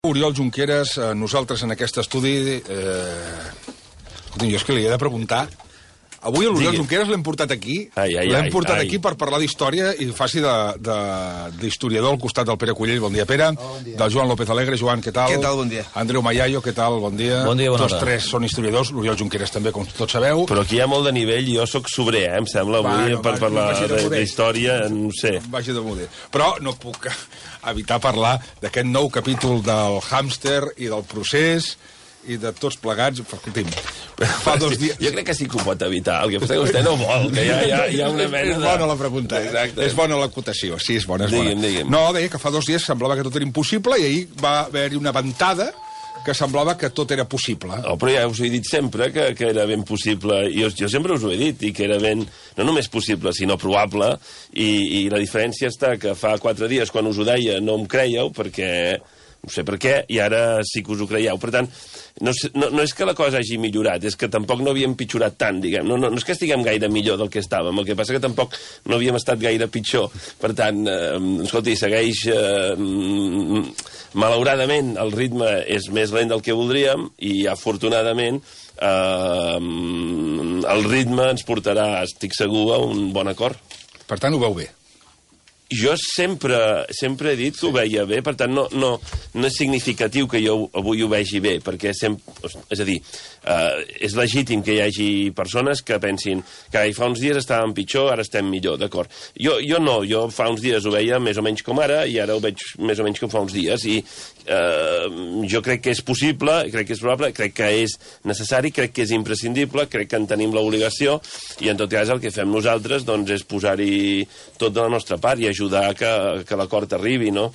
Oriol Junqueras, nosaltres en aquest estudi... Escolta, jo és que li he de preguntar... Avui l'Oriol Junqueras l'hem portat aquí, l'hem portat aquí per parlar d'història i faci d'historiador al costat del Pere Cullell, bon dia Pere, del Joan López Alegre. Joan, què tal? Què tal, bon dia. Andreu Mayayo, què tal, bon dia. Bon dia, bona hora. Tots tres són historiadors, l'Oriol Junqueras també, com tots sabeu. Però aquí hi ha molt de nivell i jo sóc sobrer, em sembla, avui, per parlar d'història, no sé. Vagi de muder. Però no puc evitar parlar d'aquest nou capítol del hàmster i del procés i de tots plegats. Escolti'm, fa 2 dies... Jo crec que sí que ho pot evitar, el que passa que vostè no vol, que hi ha una mena de... És bona la pregunta, és bona l'acotació, sí, és bona, és bona. Digue'm. No, deia que fa 2 dies semblava que tot era impossible i ahir va haver-hi una ventada que semblava que tot era possible. Oh, però ja us ho he dit sempre, que era ben possible, i jo sempre us ho he dit, i que era ben, no només possible, sinó probable, i la diferència està que fa 4 dies, quan us ho deia, no em creieu, perquè... no sé per què, i ara sí que us ho creieu. Per tant, no és que la cosa hagi millorat, és que tampoc no havíem pitjorat tant, diguem. No és que estiguem gaire millor del que estàvem, el que passa que tampoc no havíem estat gaire pitjor. Per tant, escolti, segueix... malauradament, el ritme és més lent del que voldríem i, afortunadament, el ritme ens portarà, estic segur, a un bon acord. Per tant, ho veu bé. Jo sempre he dit que ho veia bé, per tant, no és significatiu que jo avui ho vegi bé, perquè és a dir, és legítim que hi hagi persones que pensin que fa uns dies estàvem pitjor, ara estem millor, d'acord. Jo no, jo fa uns dies ho veia més o menys com ara, i ara ho veig més o menys com fa uns dies, i jo crec que és possible, crec que és probable, crec que és necessari, crec que és imprescindible, crec que en tenim l'obligació, i en tot cas el que fem nosaltres doncs, és posar-hi tot de la nostra part i ajudar que l'acord arribi, no?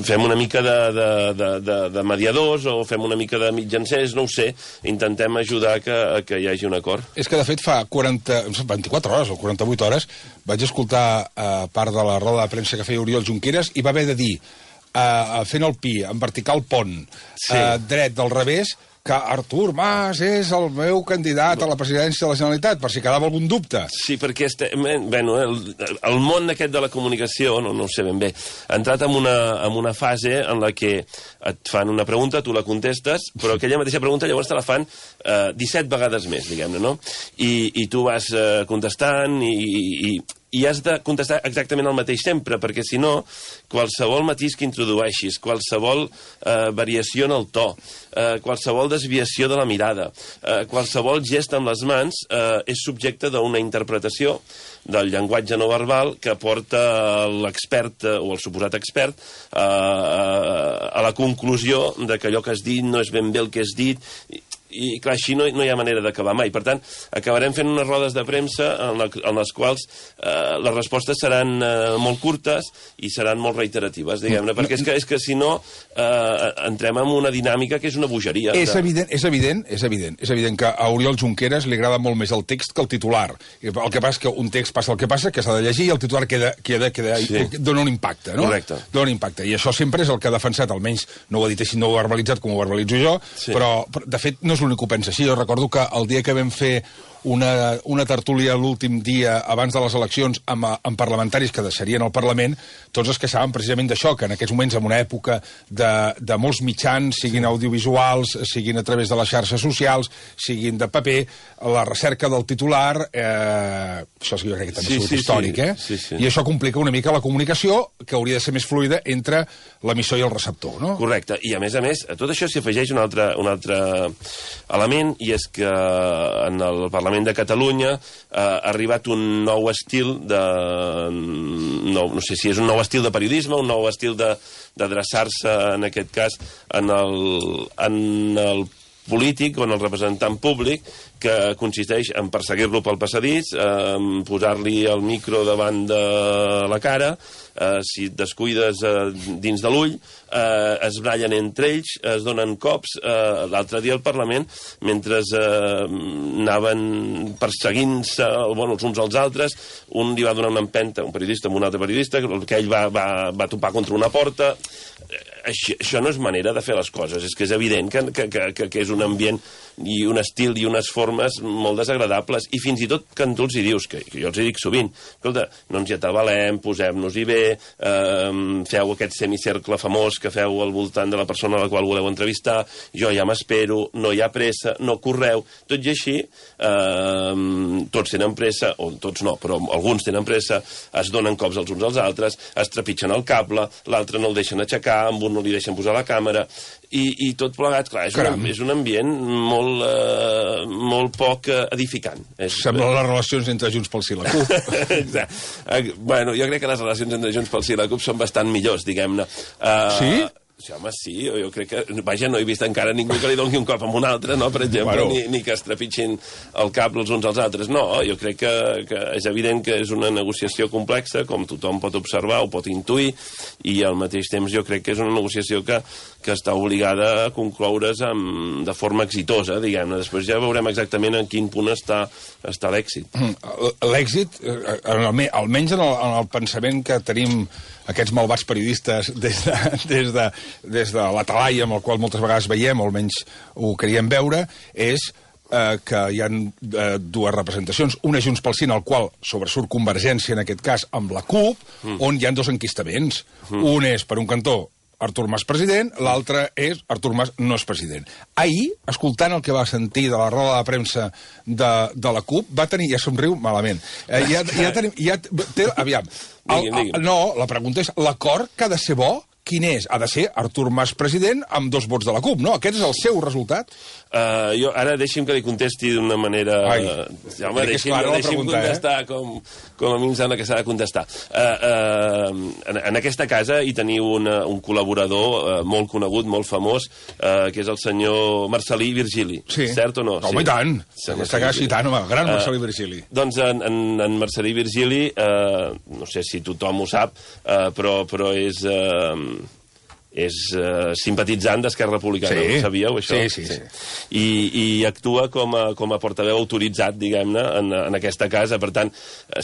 Fem una mica de mediadors o fem una mica de mitjancers, no ho sé, intentem ajudar que hi hagi un acord. És que, de fet, fa 24 hores o 48 hores vaig escoltar part de la roda de premsa que feia Oriol Junqueras i va haver de dir, fent el pi, en vertical pont, dret del revés, que Artur Mas és el meu candidat a la presidència de la Generalitat, per si quedava algun dubte. Sí, perquè el món aquest de la comunicació, no ho sé ben bé, ha entrat en una fase en la que et fan una pregunta, tu la contestes, però aquella mateixa pregunta llavors te la fan 17 vegades més, diguem-ne, no? I tu vas contestant i has de contestar exactament el mateix sempre, perquè si no, qualsevol matís que introdueixis, qualsevol variació en el to, qualsevol desviació de la mirada, qualsevol gest amb les mans és subjecte d'una interpretació del llenguatge no verbal que porta l'expert o el suposat expert a la conclusió de que allò que has dit no és ben bé el que has dit, i clar, així no hi ha manera d'acabar mai. Per tant, acabarem fent unes rodes de premsa en les quals les respostes seran molt curtes i seran molt reiteratives, diguem-ne, perquè és que si no entrem en una dinàmica que és una bogeria. És evident que a Oriol Junqueras li agrada molt més el text que el titular. El que passa és que un text passa el que passa, que s'ha de llegir, i el titular dona un impacte, no? Correcte. Dona un impacte, i això sempre és el que ha defensat, almenys no ho ha dit així, no ho ha verbalitzat com ho verbalitzo jo, però de fet no és l'únic que ho pensa així. Jo recordo que el dia que vam fer una tertúlia l'últim dia abans de les eleccions amb parlamentaris que deixarien el Parlament, tots es queixaven precisament d'això, que en aquests moments, en una època de molts mitjans, siguin audiovisuals, siguin a través de les xarxes socials, siguin de paper, la recerca del titular, això jo crec que també és històric, i això complica una mica la comunicació, que hauria de ser més fluida entre l'emissor i el receptor, no? Correcte, i a més, a tot això s'hi afegeix un altre element, i és que en el Parlament de Catalunya ha arribat un nou estil no sé si és un nou estil de periodisme, un nou estil d'adreçar-se, en aquest cas, en el polític o en el representant públic, que consisteix en perseguir-lo pel passadís, posar-li el micro davant de la cara, si et descuides dins de l'ull, es brallen entre ells, es donen cops. L'altre dia al Parlament, mentre anaven perseguint-se els uns als altres, un li va donar una empenta, un periodista amb un altre periodista, que ell va topar contra una porta. això no és manera de fer les coses. És que és evident que és un ambient i un estil i unes formes molt desagradables. I fins i tot que tu els hi dius, que jo els hi dic sovint, escolta, no ens hi atabalem, posem-nos-hi bé, feu aquest semicercle famós que feu al voltant de la persona a la qual voleu entrevistar, jo ja m'espero, no hi ha pressa, no correu, tot i així, tots tenen pressa, o tots no, però alguns tenen pressa, es donen cops els uns als altres, es trepitgen el cable, l'altre no el deixen aixecar, amb un no li deixen posar la càmera, i tot plegat, clar, és un ambient molt poc edificant. Sembla les relacions entre Junts pel Sí i la CUP. Exacte. Bueno, jo crec que les relacions entre Junts pel Sí i la CUP són bastant millors, diguem-ne. Sí? Sí, home, sí, jo crec que... Vaja, no he vist encara ningú que li doni un cop amb un altre, no?, per exemple, ni que es trepitgin el cap els uns als altres. No, jo crec que és evident que és una negociació complexa, com tothom pot observar o pot intuir, i al mateix temps jo crec que és una negociació que està obligada a concloure's de forma exitosa, diguem-ne. Després ja veurem exactament en quin punt està l'èxit. L'èxit, almenys en el pensament que tenim aquests malvats periodistes des de la talaia amb el qual moltes vegades veiem, o almenys ho queríem veure, és que hi ha dues representacions. Una Junts pel Sí, en el qual sobresurt Convergència, en aquest cas, amb la CUP, on hi ha dos enquistaments. Un és, per un cantó, Artur Mas president, l'altre és Artur Mas no és president. Ahir, escoltant el que va sentir de la roda de premsa de la CUP, va tenir, ja somriu malament, aviam, no, la pregunta és, l'acord que ha de ser bo, quin és? Ha de ser Artur Mas president amb 2 vots de la CUP, no? Aquest és el seu resultat? Jo ara deixi'm que li contesti d'una manera... Home, deixi'm contestar com a mi em sembla que s'ha de contestar. En aquesta casa hi teniu un col·laborador molt conegut, molt famós, que és el senyor Marcel·lí Virgili. Cert o no? Home, i tant! Aquesta casa i tant, home, gran Marcel·lí Virgili. Doncs en Marcel·lí Virgili, no sé si tothom ho sap, però és simpatitzant d'Esquerra Republicana, ho sabíeu, això? Sí. I actua com a portaveu autoritzat, diguem-ne, en aquesta casa. Per tant,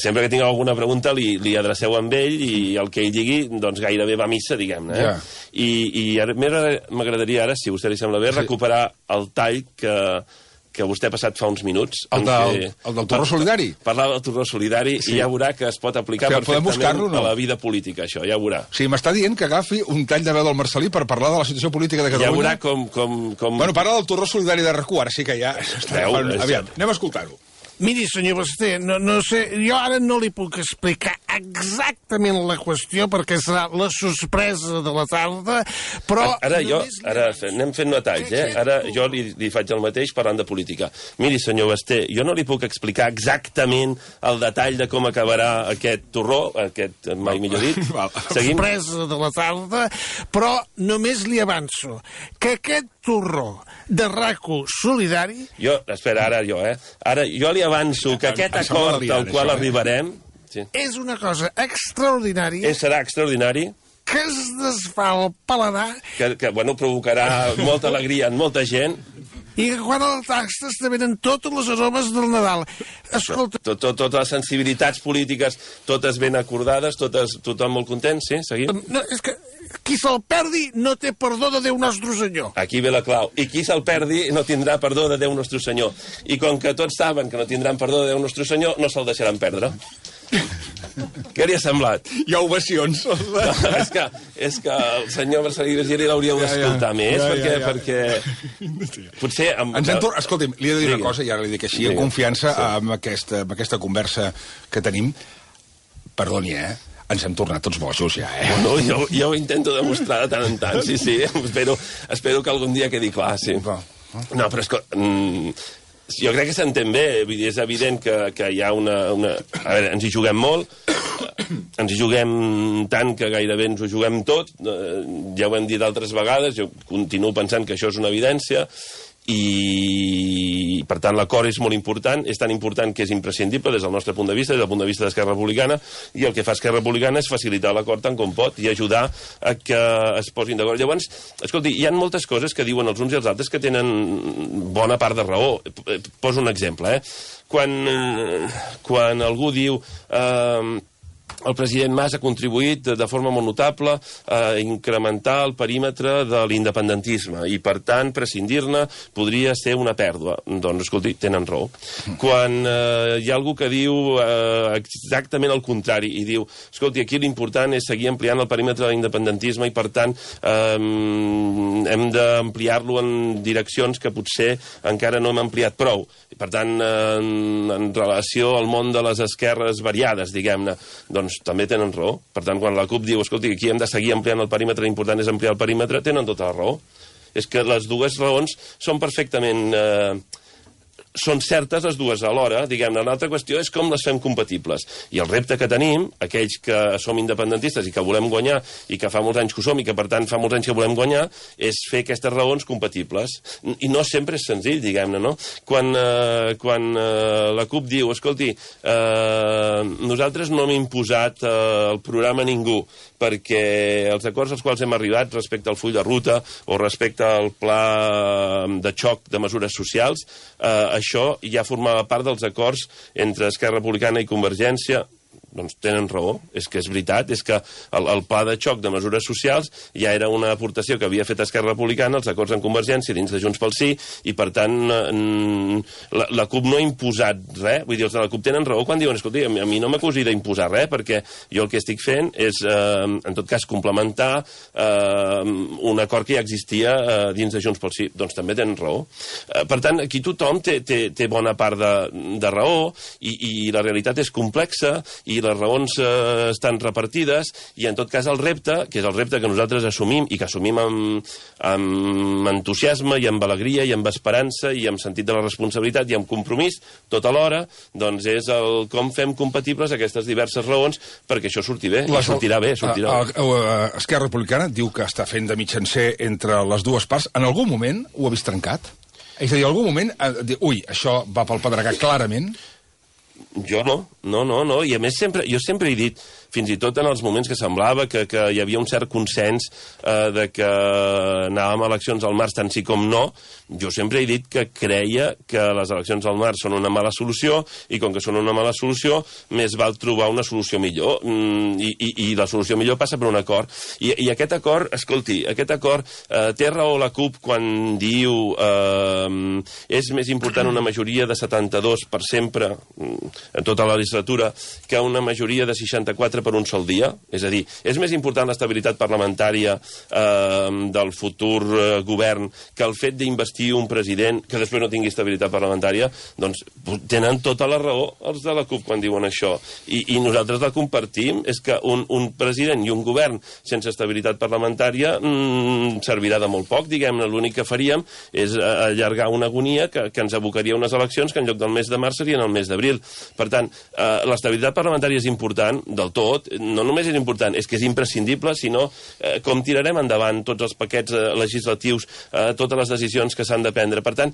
sempre que tingueu alguna pregunta li adreceu amb ell i el que ell digui, doncs gairebé va a missa, diguem-ne. I m'agradaria ara, si a vostè li sembla bé, recuperar el tall que vostè ha passat fa uns minuts. El del torró solidari? Parlava del torró solidari i ja veurà que es pot aplicar perfectament a la vida política, això, ja veurà. Sí, m'està dient que agafi un tall de veu del Marcel·lí per parlar de la situació política de Catalunya. Ja veurà com... Bueno, parla del torró solidari de RAC1, ara sí que ja... Aviam, anem a escoltar-ho. Miri, senyor Basté, no sé, jo ara no li puc explicar exactament la qüestió perquè serà la sorpresa de la tarda, però... Ara anem fent detalls, Ara jo li faig el mateix parlant de política. Miri, senyor Basté, jo no li puc explicar exactament el detall de com acabarà aquest torró, aquest mai millor dit. Sorpresa de la tarda, però només li avanço que aquest torró de RAC1 solidari... Espera, ara jo li avanço que aquest acord al qual arribarem... És una cosa extraordinària... Serà extraordinari... Que es desfà el paladar... Que provocarà molta alegria en molta gent... I que quan el tastes te venen totes les aromes del Nadal. Escolta... Totes les sensibilitats polítiques, totes ben acordades, tothom molt content, sí? Seguim? No, és que qui se'l perdi no té perdó de Déu Nostre Senyor. Aquí ve la clau. I qui se'l perdi no tindrà perdó de Déu Nostre Senyor. I com que tots saben que no tindran perdó de Déu Nostre Senyor, no se'l deixaran perdre. Què li ha semblat? Hi ha ovacions. No, és que el senyor Marcel·lí Virgili l'hauríeu d'escoltar més, perquè potser... Escolti'm, li he de dir una cosa, i ara li dic així, en confiança amb aquesta conversa que tenim. Perdoni, ens hem tornat tots bojos, ja, Bueno, jo ho intento demostrar de tant en tant, sí. Espero que algun dia quedi clar, sí. No, però jo crec que s'entén bé, és evident que hi ha una... A veure, ens hi juguem molt, ens hi juguem tant que gairebé ens ho juguem tot, ja ho hem dit altres vegades, jo continuo pensant que això és una evidència, i per tant l'acord és molt important, és tan important que és imprescindible des del nostre punt de vista, des del punt de vista d'Esquerra Republicana, i el que fa Esquerra Republicana és facilitar l'acord tant com pot i ajudar a que es posin d'acord. Llavors, escolti, hi ha moltes coses que diuen els uns i els altres que tenen bona part de raó. Poso un exemple, Quan algú diu... el president Mas ha contribuït de forma molt notable a incrementar el perímetre de l'independentisme i, per tant, prescindir-ne podria ser una pèrdua. Doncs, escolti, tenen raó. Quan hi ha algú que diu exactament el contrari i diu, escolti, aquí l'important és seguir ampliant el perímetre de l'independentisme i, per tant, hem d'ampliar-lo en direccions que potser encara no hem ampliat prou. Per tant, en relació al món de les esquerres variades, diguem-ne, doncs també tenen raó. Per tant, quan la CUP diu, escolti, aquí hem de seguir ampliant el perímetre, l'important és ampliar el perímetre, tenen tota la raó. És que les dues raons són perfectament... són certes les dues alhora, diguem-ne. L'altra qüestió és com les fem compatibles. I el repte que tenim, aquells que som independentistes i que volem guanyar, i que fa molts anys que ho som, i que per tant fa molts anys que volem guanyar, és fer aquestes raons compatibles. I no sempre és senzill, diguem-ne, no? Quan la CUP diu, escolti, nosaltres no hem imposat el programa a ningú, perquè els acords als quals hem arribat respecte al full de ruta o respecte al pla de xoc de mesures socials, això ja formava part dels acords entre Esquerra Republicana i Convergència. Doncs tenen raó, és que és veritat, és que el pla de xoc de mesures socials ja era una aportació que havia fet Esquerra Republicana, els acords en Convergència dins de Junts pel Sí, i per tant la CUP no ha imposat res. Vull dir, els de la CUP tenen raó quan diuen, escolti, a mi no m'acusi d'imposar res, perquè jo el que estic fent és, en tot cas, complementar un acord que ja existia dins de Junts pel Sí. Doncs també tenen raó. Per tant, aquí tothom té bona part de raó, i la realitat és complexa, i les raons estan repartides, i en tot cas el repte, que és el repte que nosaltres assumim, i que assumim amb entusiasme, i amb alegria, i amb esperança, i amb sentit de la responsabilitat, i amb compromís, tot alhora, doncs és el com fem compatibles aquestes diverses raons perquè això surti bé, i sortirà bé, sortirà bé. Esquerra Republicana diu que està fent de mitjancer entre les dues parts. En algun moment ho ha vist trencat? És a dir, en algun moment, ui, això va pel pedregar clarament? Jo no. I a més, jo sempre he dit, fins i tot en els moments que semblava que hi havia un cert consens de que anàvem a eleccions al març tant sí com no, jo sempre he dit que creia que les eleccions al març són una mala solució, i com que són una mala solució, més val trobar una solució millor. I la solució millor passa per un acord. I aquest acord, escolti, té raó la CUP quan diu és més important una majoria de 72 per sempre, en tota la legislatura, que una majoria de 64 per un sol dia. És a dir, és més important l'estabilitat parlamentària del futur govern que el fet d'investir un president que després no tingui estabilitat parlamentària. Doncs tenen tota la raó els de la CUP quan diuen això. I nosaltres la compartim. És que un president i un govern sense estabilitat parlamentària servirà de molt poc, diguem-ne. L'únic que faríem és allargar una agonia que ens abocaria a unes eleccions que en lloc del mes de març serien el mes d'abril. Per tant, l'estabilitat parlamentària és important del tot, no només és important, és que és imprescindible, sinó com tirarem endavant tots els paquets legislatius, totes les decisions que s'han de prendre. Per tant,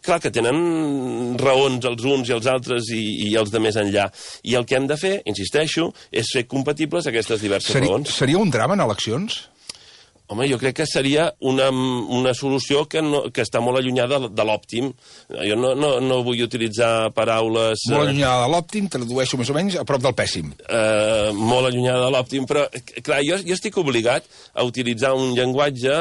clar que tenen raons els uns i els altres i els de més enllà. I el que hem de fer, insisteixo, és fer compatibles aquestes diverses raons. Seria un drama en eleccions? Home, jo crec que seria una solució que està molt allunyada de l'òptim. Jo no vull utilitzar paraules... Molt allunyada de l'òptim, tradueixo més o menys a prop del pèssim. Molt allunyada de l'òptim, però, clar, jo estic obligat a utilitzar un llenguatge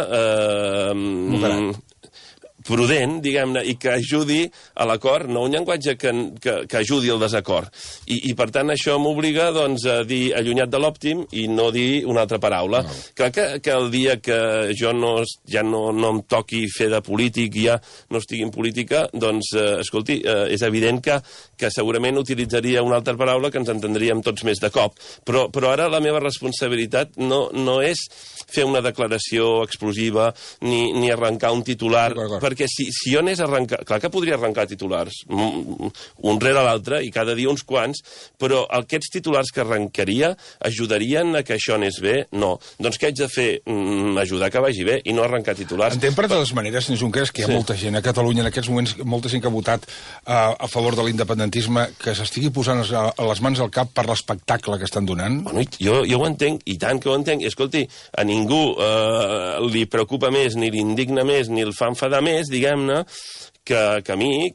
prudent, diguem-ne, i que ajudi a l'acord, no un llenguatge que ajudi al desacord. I per tant, això m'obliga, doncs, a dir allunyat de l'òptim i no dir una altra paraula. No. Clar que el dia que jo ja no em toqui fer de polític i ja no estigui en política, doncs, escolti, és evident que segurament utilitzaria una altra paraula que ens entendríem tots més de cop. Però ara la meva responsabilitat no és fer una declaració explosiva ni arrencar un titular, perquè si jo anés a arrencar... Clar que podria arrencar titulars, un rere l'altre, i cada dia uns quants, però aquests titulars que arrencaria ajudarien a que això anés bé? No. Doncs què haig de fer? Ajudar que vagi bé i no arrencar titulars. Entenc, per totes maneres, senyor Junqueras, que hi ha molta gent a Catalunya en aquests moments, molta gent que ha votat a favor de l'independentisme, que s'estigui posant les mans al cap per l'espectacle que estan donant. Bueno, jo ho entenc, i tant que ho entenc. Escolti, a ningú li preocupa més, ni l'indigna més, ni el fa enfadar més més, diguem-ne, que a mi,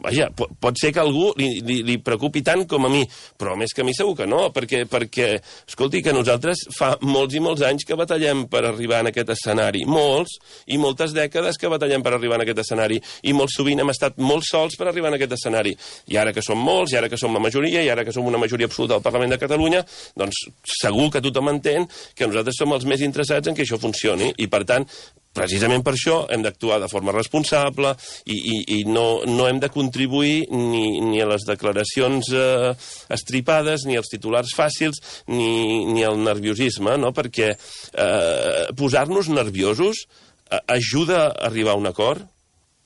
vaja, pot ser que a algú li preocupi tant com a mi, però més que a mi segur que no, perquè escolti, que nosaltres fa molts i molts anys que batallem per arribar en aquest escenari, molts i moltes dècades que batallem per arribar en aquest escenari, i molt sovint hem estat molt sols per arribar en aquest escenari, i ara que som molts, i ara que som la majoria, i ara que som una majoria absoluta al Parlament de Catalunya, doncs segur que tothom entén que nosaltres som els més interessats en que això funcioni, i per tant, precisament per això hem d'actuar de forma responsable i no hem de contribuir ni a les declaracions estripades, ni als titulars fàcils, ni al nerviosisme, no? Perquè posar-nos nerviosos ajuda a arribar a un acord?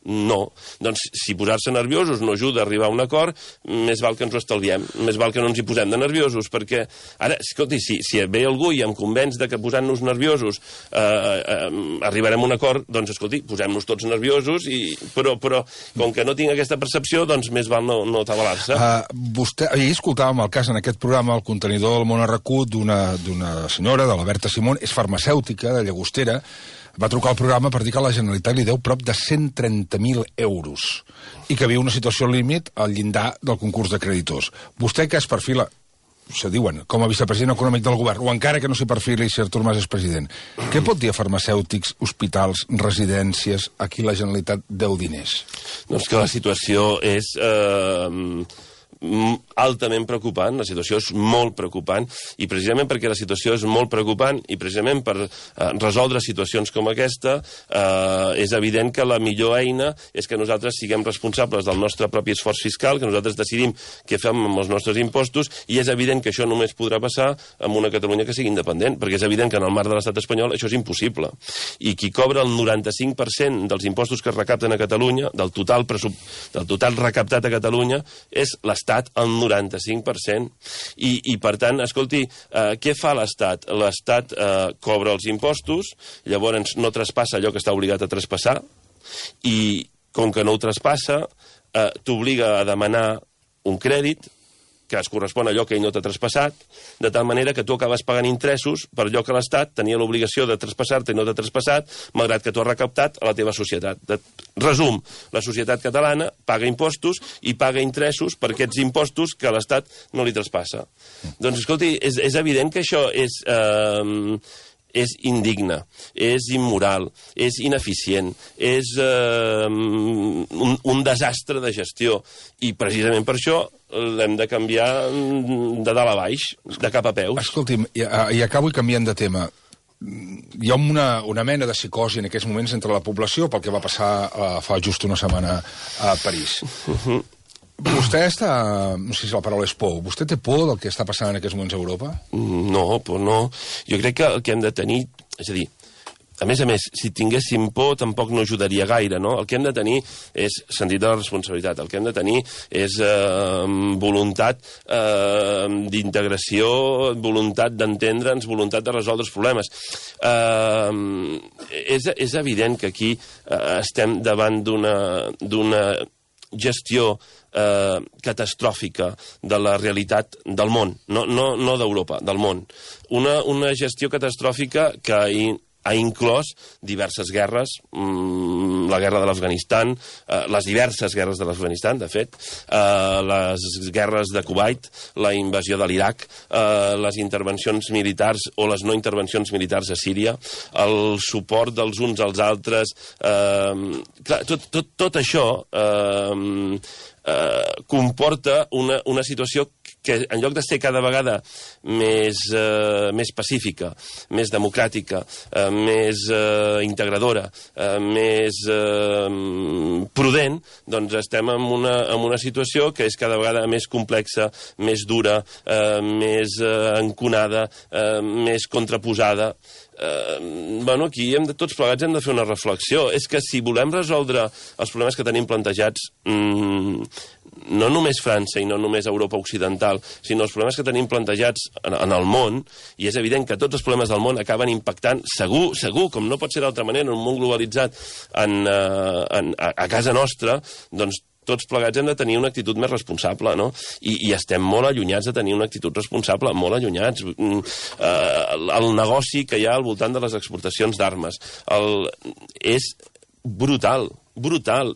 No. Doncs si posar-se nerviosos no ajuda a arribar a un acord, més val que ens ho estalviem, més val que no ens hi posem de nerviosos, perquè ara, escolti, si ve algú i em convenç de que posant-nos nerviosos arribarem a un acord, doncs escolti, posem-nos tots nerviosos, però com que no tinc aquesta percepció, doncs més val no atabalar-se. Vostè, ahir escoltàvem el cas en aquest programa, el contenidor del Món Arracut, d'una senyora, de la Berta Simón, és farmacèutica, de Llagostera, va trucar al programa per dir que la Generalitat li deu prop de 130.000 euros i que viu una situació límit al llindar del concurs de creditors. Vostè que es perfila, se diuen, com a vicepresident econòmic del govern, o encara que no s'hi perfili si Artur Mas és president, què pot dir a farmacèutics, hospitals, residències, a qui la Generalitat deu diners? Doncs que la situació és altament preocupant, la situació és molt preocupant, i precisament perquè la situació és molt preocupant i precisament per resoldre situacions com aquesta és evident que la millor eina és que nosaltres siguem responsables del nostre propi esforç fiscal, que nosaltres decidim què fem amb els nostres impostos, i és evident que això només podrà passar amb una Catalunya que sigui independent, perquè és evident que en el marc de l'estat espanyol això és impossible, i qui cobra el 95% dels impostos que es recapten a Catalunya, del total recaptat a Catalunya, és l'Estat, el 95%. I per tant, escolti, què fa l'Estat? L'Estat cobra els impostos, llavors no traspassa allò que està obligat a traspassar, i com que no ho traspassa, t'obliga a demanar un crèdit que es correspon a allò que ell no t'ha traspassat, de tal manera que tu acabes pagant interessos per allò que l'Estat tenia l'obligació de traspassar-te i no t'ha traspassat, malgrat que tu has recaptat a la teva societat. Resum, la societat catalana paga impostos i paga interessos per aquests impostos que l'Estat no li traspassa. Doncs, escolti, és evident que això és indigne, és immoral, és ineficient, és un desastre de gestió, i precisament per això l'hem de canviar de dalt a baix, de cap a peus. Escolti'm, i acabo i canviant de tema. Hi ha una mena de psicosi en aquests moments entre la població pel que va passar fa just una setmana a París. Vostè està... no sé si la paraula és por. Vostè té por del que està passant en aquests moments a Europa? No, por no. Jo crec que el que hem de tenir... És a dir, a més, si tinguéssim por tampoc no ajudaria gaire, no? El que hem de tenir és sentit de la responsabilitat. El que hem de tenir és voluntat d'integració, voluntat d'entendre'ns, voluntat de resoldre els problemes. És evident que aquí estem davant d'una gestió catastròfica de la realitat del món, no d'Europa, del món. Una gestió catastròfica que ha inclòs diverses guerres, la guerra de l'Afganistan, les diverses guerres de l'Afganistan, de fet, les guerres de Kuwait, la invasió de l'Iraq, les intervencions militars o les no intervencions militars a Síria, el suport dels uns als altres... Clar, tot això comporta una situació que en lloc de ser cada vegada més pacífica, més democràtica, més integradora, més prudent, doncs estem en una situació que és cada vegada més complexa, més dura, més enconada, més contraposada. Aquí tots plegats hem de fer una reflexió. És que si volem resoldre els problemes que tenim plantejats, no només França i no només Europa Occidental, sinó els problemes que tenim plantejats en el món, i és evident que tots els problemes del món acaben impactant, segur, com no pot ser d'altra manera, en un món globalitzat a casa nostra, doncs tots plegats hem de tenir una actitud més responsable, no? I estem molt allunyats de tenir una actitud responsable, molt allunyats. El negoci que hi ha al voltant de les exportacions d'armes és brutal.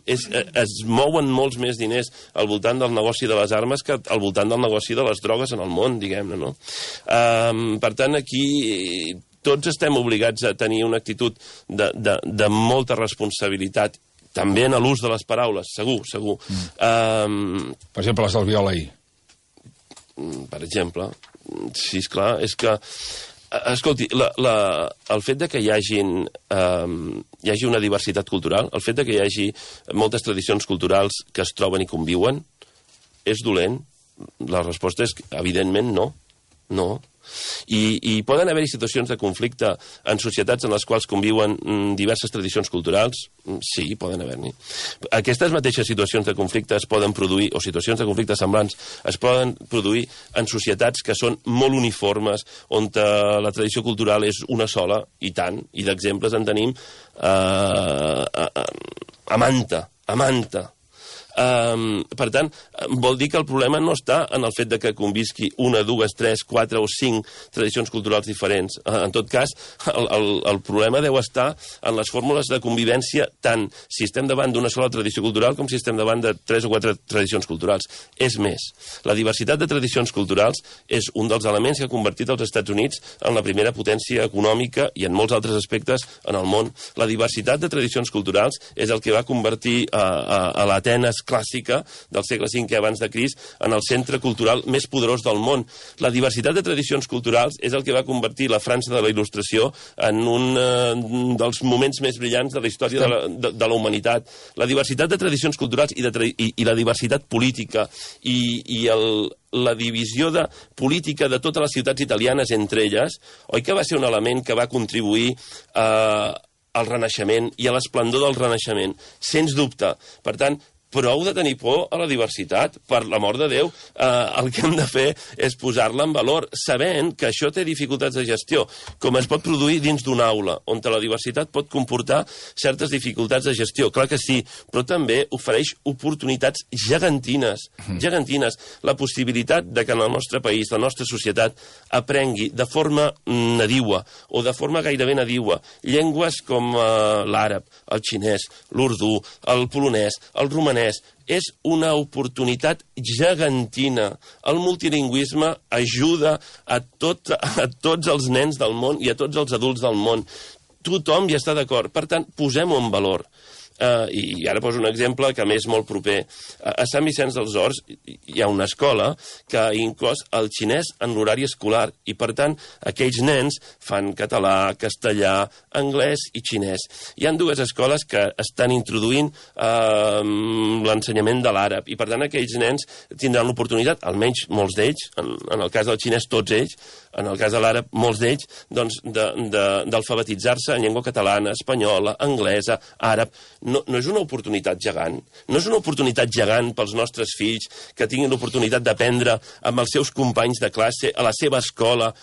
Es mouen molts més diners al voltant del negoci de les armes que al voltant del negoci de les drogues en el món, diguem-ne, no? Per tant, aquí tots estem obligats a tenir una actitud de molta responsabilitat, també en l'ús de les paraules, segur. Per exemple, les del Viola ahir. Per exemple. Sí, esclar, és que... Escolti, el fet de que hi hagi una diversitat cultural, el fet de que hi hagi moltes tradicions culturals que es troben i conviuen, és dolent? La resposta és, evidentment, no. No. I poden haver-hi situacions de conflicte en societats en les quals conviuen diverses tradicions culturals? Sí, poden haver-n'hi. Aquestes mateixes situacions de conflicte es poden produir, o situacions de conflicte semblants, es poden produir en societats que són molt uniformes, on la tradició cultural és una sola, i tant, i d'exemples en tenim a manta. Per tant, vol dir que el problema no està en el fet de que convisqui una, dues, tres, quatre o cinc tradicions culturals diferents. En tot cas, el problema deu estar en les fórmules de convivència, tant si estem davant d'una sola tradició cultural com si estem davant de tres o quatre tradicions culturals. És més, la diversitat de tradicions culturals és un dels elements que ha convertit els Estats Units en la primera potència econòmica i en molts altres aspectes en el món. La diversitat de tradicions culturals és el que va convertir a l'Atenes clàssica del segle V abans de Crist en el centre cultural més poderós del món. La diversitat de tradicions culturals és el que va convertir la França de la Il·lustració en un dels moments més brillants de la història de la humanitat. La diversitat de tradicions culturals i la diversitat política i la divisió política de totes les ciutats italianes entre elles, oi que va ser un element que va contribuir al Renaixement i a l'esplendor del Renaixement? Sens dubte. Per tant, prou de tenir por a la diversitat, per l'amor de Déu. El que hem de fer és posar-la en valor, sabent que això té dificultats de gestió, com es pot produir dins d'una aula, on la diversitat pot comportar certes dificultats de gestió. Clar que sí, però també ofereix oportunitats gegantines. La possibilitat de que en el nostre país, la nostra societat, aprengui de forma nadiua, o de forma gairebé nadiua, llengües com l'àrab, el xinès, l'urdú, el polonès, el romanès, és una oportunitat gegantina. El multilingüisme ajuda a tots els nens del món i a tots els adults del món. Tothom hi està d'acord. Per tant, posem-ho en valor. I ara poso un exemple que m'és molt proper. A Sant Vicenç dels Horts hi ha una escola que ha inclòs el xinès en l'horari escolar i, per tant, aquells nens fan català, castellà, anglès i xinès. Hi ha dues escoles que estan introduint l'ensenyament de l'àrab i, per tant, aquells nens tindran l'oportunitat, almenys molts d'ells, en el cas del xinès tots ells, en el cas de l'àrab molts d'ells, doncs d'alfabetitzar-se en llengua catalana, espanyola, anglesa, àrab. No és una oportunitat gegant. No és una oportunitat gegant pels nostres fills que tinguin l'oportunitat d'aprendre amb els seus companys de classe a la seva escola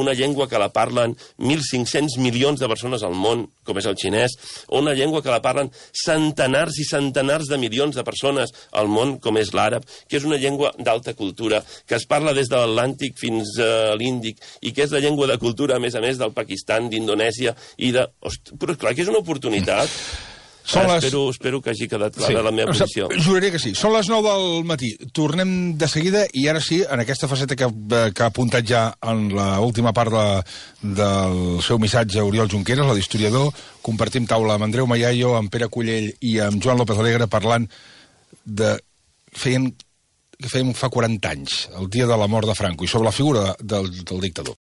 una llengua que la parlen 1.500 milions de persones al món, com és el xinès, o una llengua que la parlen centenars i centenars de milions de persones al món, com és l'àrab, que és una llengua d'alta cultura, que es parla des de l'Atlàntic fins a l'Índic, i que és la llengua de cultura, a més, del Pakistan, d'Indonèsia, però clar que és una oportunitat. Espero que hagi quedat clara la meva posició. Juraria que sí. Són les 9 del matí. Tornem de seguida i ara sí, en aquesta faceta que ha apuntat ja en l'última part del seu missatge Oriol Junqueras, la d'historiador, compartim taula amb Andreu Mayayo, amb Pere Cullell i amb Joan López Alegre parlant de... Fèiem fa 40 anys, el dia de la mort de Franco, i sobre la figura del dictador.